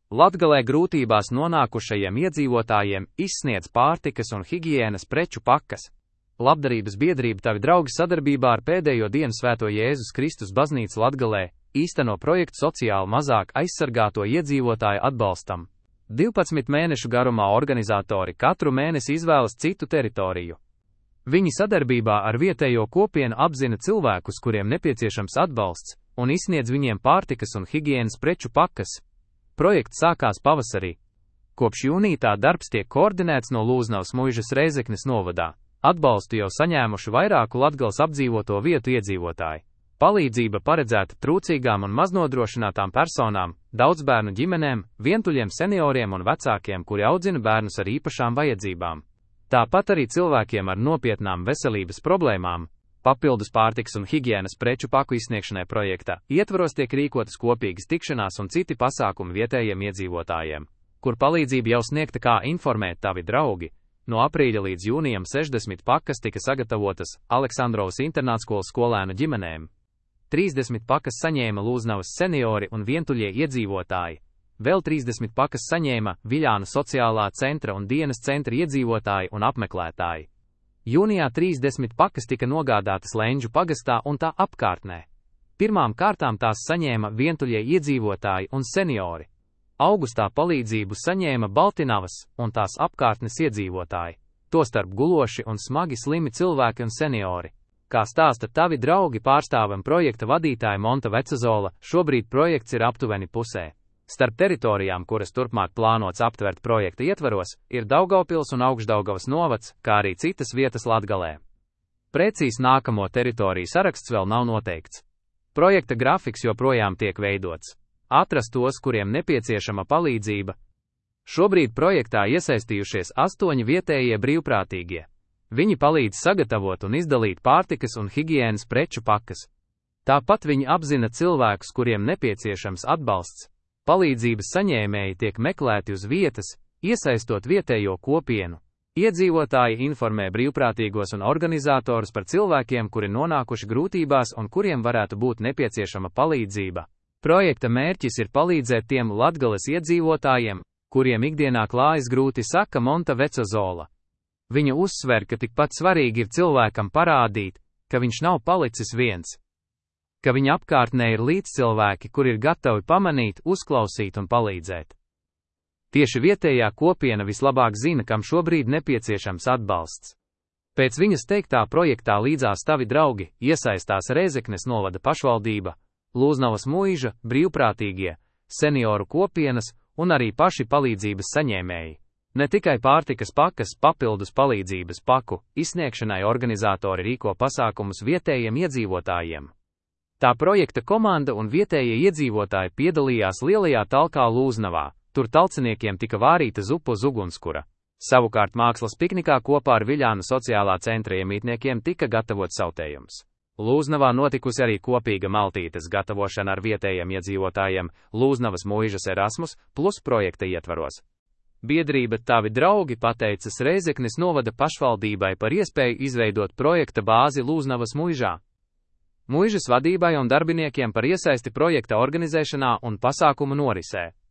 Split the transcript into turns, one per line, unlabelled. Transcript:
Latgalē grūtībās nonākušajiem iedzīvotājiem izsniedz pārtikas un higienas preču pakas. Labdarības biedrība Tavi draugi sadarbībā ar Pēdējo dienu Svēto Jēzus Kristus baznīcu Latgalē īsteno projektu sociāli mazāk aizsargāto iedzīvotāju atbalstam. 12 mēnešu garumā organizatori katru mēnesi izvēlas citu teritoriju. Viņi sadarbībā ar vietējo kopienu apzina cilvēkus, kuriem nepieciešams atbalsts, un izsniedz viņiem pārtikas un higienas preču pakas. Projekts sākās pavasarī. Kopš jūnija tā darbs tiek koordinēts no Lūznavas Muižas Reizeknes novadā. Atbalstu jau saņēmuši vairāku Latgales apdzīvoto vietu iedzīvotāji. Palīdzība paredzēta trūcīgām un maznodrošinātām personām, daudzbērnu ģimenēm, vientuļiem senioriem un vecākiem, kuri audzina bērnus ar īpašām vajadzībām. Tāpat arī cilvēkiem ar nopietnām veselības problēmām. Papildus pārtikas un higienas preču paku izsniegšanai projektā ietvaros tiek rīkotas kopīgas tikšanās un citi pasākumi vietējiem iedzīvotājiem, kur palīdzība jau sniegta, kā informēt Tavi draugi. No aprīļa līdz jūnijam 60 pakas tika sagatavotas Aleksandrovas internātskolas skolēnu ģimenēm. 30 pakas saņēma Lūznavas seniori un vientuļie iedzīvotāji. Vēl 30 pakas saņēma Viļānu sociālā centra un dienas centra iedzīvotāji un apmeklētāji. Jūnijā 30 pakas tika nogādātas Lenģu pagastā un tā apkārtnē. Pirmām kārtām tās saņēma vientuļie iedzīvotāji un seniori. Augustā palīdzību saņēma Baltinavas un tās apkārtnes iedzīvotāji, tostarp guloši un smagi slimi cilvēki un seniori. Kā stāsta Tavi draugi pārstāvam projekta vadītāja Monta Vecazola, šobrīd projekts ir aptuveni pusē. Starp teritorijām, kuras turpmāk plānots aptvert projekta ietvaros, ir Daugavpils un Augšdaugavas novads, kā arī citas vietas Latgalē. Precīzs nākamo teritoriju saraksts vēl nav noteikts. Projekta grafiks joprojām tiek veidots. Atrast tos, kuriem nepieciešama palīdzība. Šobrīd projektā iesaistījušies 8 vietējie brīvprātīgie. Viņi palīdz sagatavot un izdalīt pārtikas un higienas preču pakas. Tāpat viņi apzina cilvēkus, kuriem nepieciešams atbalsts. Palīdzības saņēmēji tiek meklēti uz vietas, iesaistot vietējo kopienu. Iedzīvotāji informē brīvprātīgos un organizatorus par cilvēkiem, kuri nonākuši grūtībās un kuriem varētu būt nepieciešama palīdzība. Projekta mērķis ir palīdzēt tiem Latgales iedzīvotājiem, kuriem ikdienā klājas grūti, saka Monta Vecazola. Viņa uzsver, ka tikpat svarīgi ir cilvēkam parādīt, ka viņš nav palicis viens, ka viņa apkārtnē ir līdzcilvēki, kuri ir gatavi pamanīt, uzklausīt un palīdzēt. Tieši vietējā kopiena vislabāk zina, kam šobrīd nepieciešams atbalsts. Pēc viņas teiktā projektā līdzās Tavi draugi iesaistās Reizeknes novada pašvaldība, Lūznavas Muiža, brīvprātīgie, senioru kopienas un arī paši palīdzības saņēmēji. Ne tikai pārtikas pakas, papildus palīdzības paku izsniegšanai organizatori rīko pasākumus vietējiem iedzīvotājiem. Tā projekta komanda un vietējie iedzīvotāji piedalījās lielajā talkā Lūznavā, tur talciniekiem tika vārīta zupa uz ugunskura. Savukārt mākslas piknikā kopā ar Viļānu sociālā centra iemītniekiem tika gatavots sautējums. Lūznavā notikusi arī kopīga maltītes gatavošana ar vietējiem iedzīvotājiem Lūznavas Muižas Erasmus plus projekta ietvaros. Biedrība Tavi draugi pateicas Reizeknes novada pašvaldībai par iespēju izveidot projekta bāzi Lūznavas Muižā. Muižas vadībai un darbiniekiem par iesaisti projekta organizēšanā un pasākumu norisē.